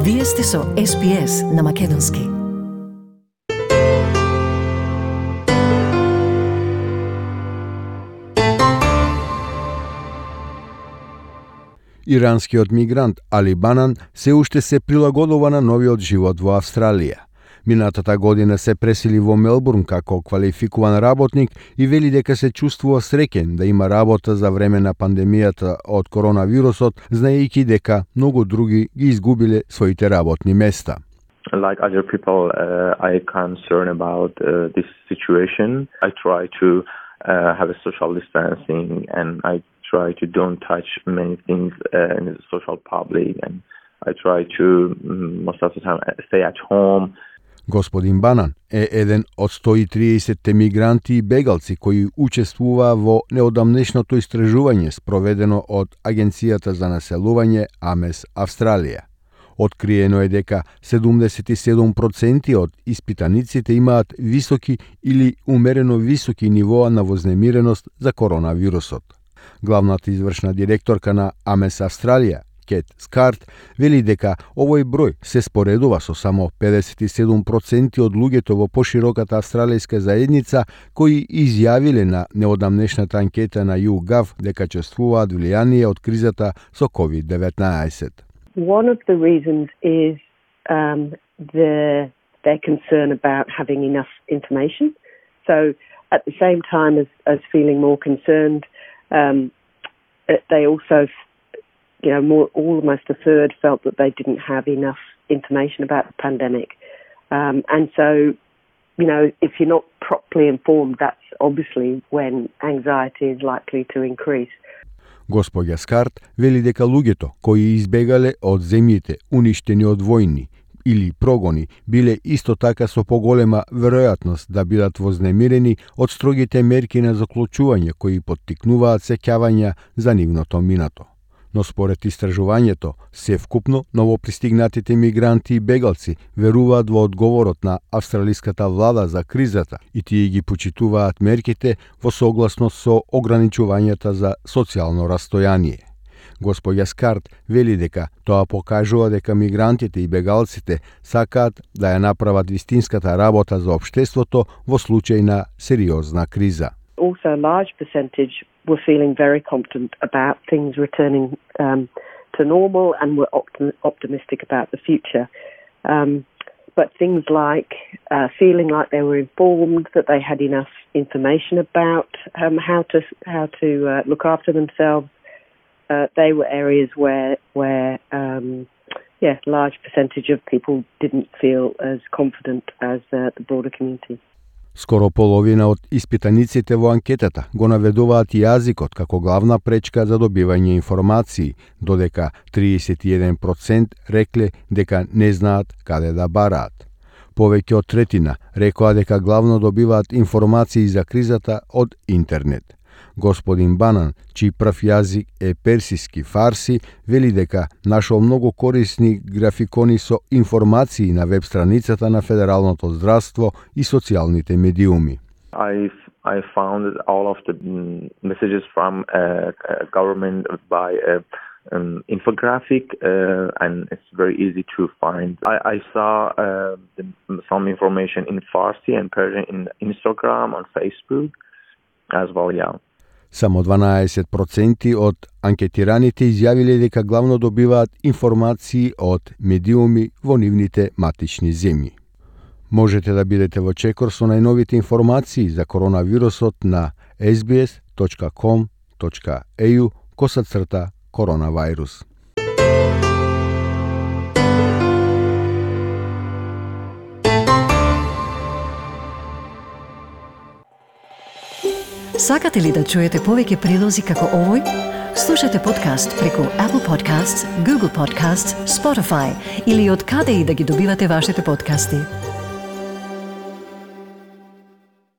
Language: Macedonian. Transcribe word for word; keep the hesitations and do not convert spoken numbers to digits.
Вие сте со Ес Би Ес на Македонски. Иранскиот мигрант Али Банан се уште се прилагодува на новиот живот во Австралија. Минатата година се пресели во Мелбурн како квалификуван работник и вели дека се чувствува среќен да има работа за време на пандемијата од коронавирусот, знаејќи дека многу други ги изгубиле своите работни места. Like other people, uh, I concern about uh, this situation. I try to uh, have a social distancing, and I try to don't touch many things uh, in the social public, and I try to um, most of the time stay at home. Господин Банан е еден од сто и триесет мигранти и бегалци кои учествуваа во неодамнешното истражување спроведено од Агенцијата за населување АМЕС Австралија. Откриено е дека седумдесет и седум проценти од испитаниците имаат високи или умерено високи нивоа на вознемиреност за коронавирусот. Главната извршна директорка на АМЕС Австралија, Кет Скарт, вели дека овој број се споредува со само педесет и седум проценти од луѓето во пошироката австралијска заедница кои изјавиле на неодамнешната анкета на YouGov дека чувствуваат влијание од кризата со ковид деветнаесет. One of the reasons is um, the, their concern about having enough information. So at the same time as, as feeling more concerned, um, they also You know, more, almost a third felt that they didn't have enough information about the pandemic. Um, and so, you know, if you're not properly informed, that's obviously when anxiety is likely to increase. Господја Скарт вели дека луѓето кои избегале од земјите уништени од војни или прогони биле исто така со поголема веројатност да бидат вознемирени од строгите мерки на заклучување кои поттикнуваат сеќавања за нивното минато. Но според истражувањето, севкупно новопристигнатите мигранти и бегалци веруваат во одговорот на австралиската влада за кризата и тие ги почитуваат мерките во согласност со ограничувањата за социјално растојание. Господја Скарт вели дека тоа покажува дека мигрантите и бегалците сакаат да ја направат вистинската работа за општеството во случај на сериозна криза. Also, a large percentage were feeling very confident about things returning um, to normal and were optim- optimistic about the future. Um, but things like uh, feeling like they were informed, that they had enough information about um, how to how to uh, look after themselves, uh, they were areas where where um, yeah, large percentage of people didn't feel as confident as uh, the broader community. Скоро половина од испитаниците во анкетата го наведуваат јазикот како главна пречка за добивање информации, додека триесет и еден проценти рекле дека не знаат каде да бараат. Повеќе од третина рекоа дека главно добиваат информации за кризата од интернет. Господин Банан, чиј прв јазик е персиски фарси, вели дека нашол многу корисни графикони со информации на веб страницата на Федералното здравство и социјалните медиуми. I I found all of the messages from uh, government by a um, infographic, uh, and it's very easy to find. I, I saw uh, the, some information in Farsi and Persian in Instagram, on Facebook as well, yeah. Само дванаесет проценти од анкетираните изјавиле дека главно добиваат информации од медиуми во нивните матични земји. Можете да бидете во чекор со најновите информации за коронавирусот на ес би ес точка ком точка ей ю косацрта коронавирус. Сакате ли да чуете повеќе прилози како овој? Слушате подкаст преку Apple Podcasts, Google Podcasts, Spotify или од каде и да ги добивате вашите подкасти.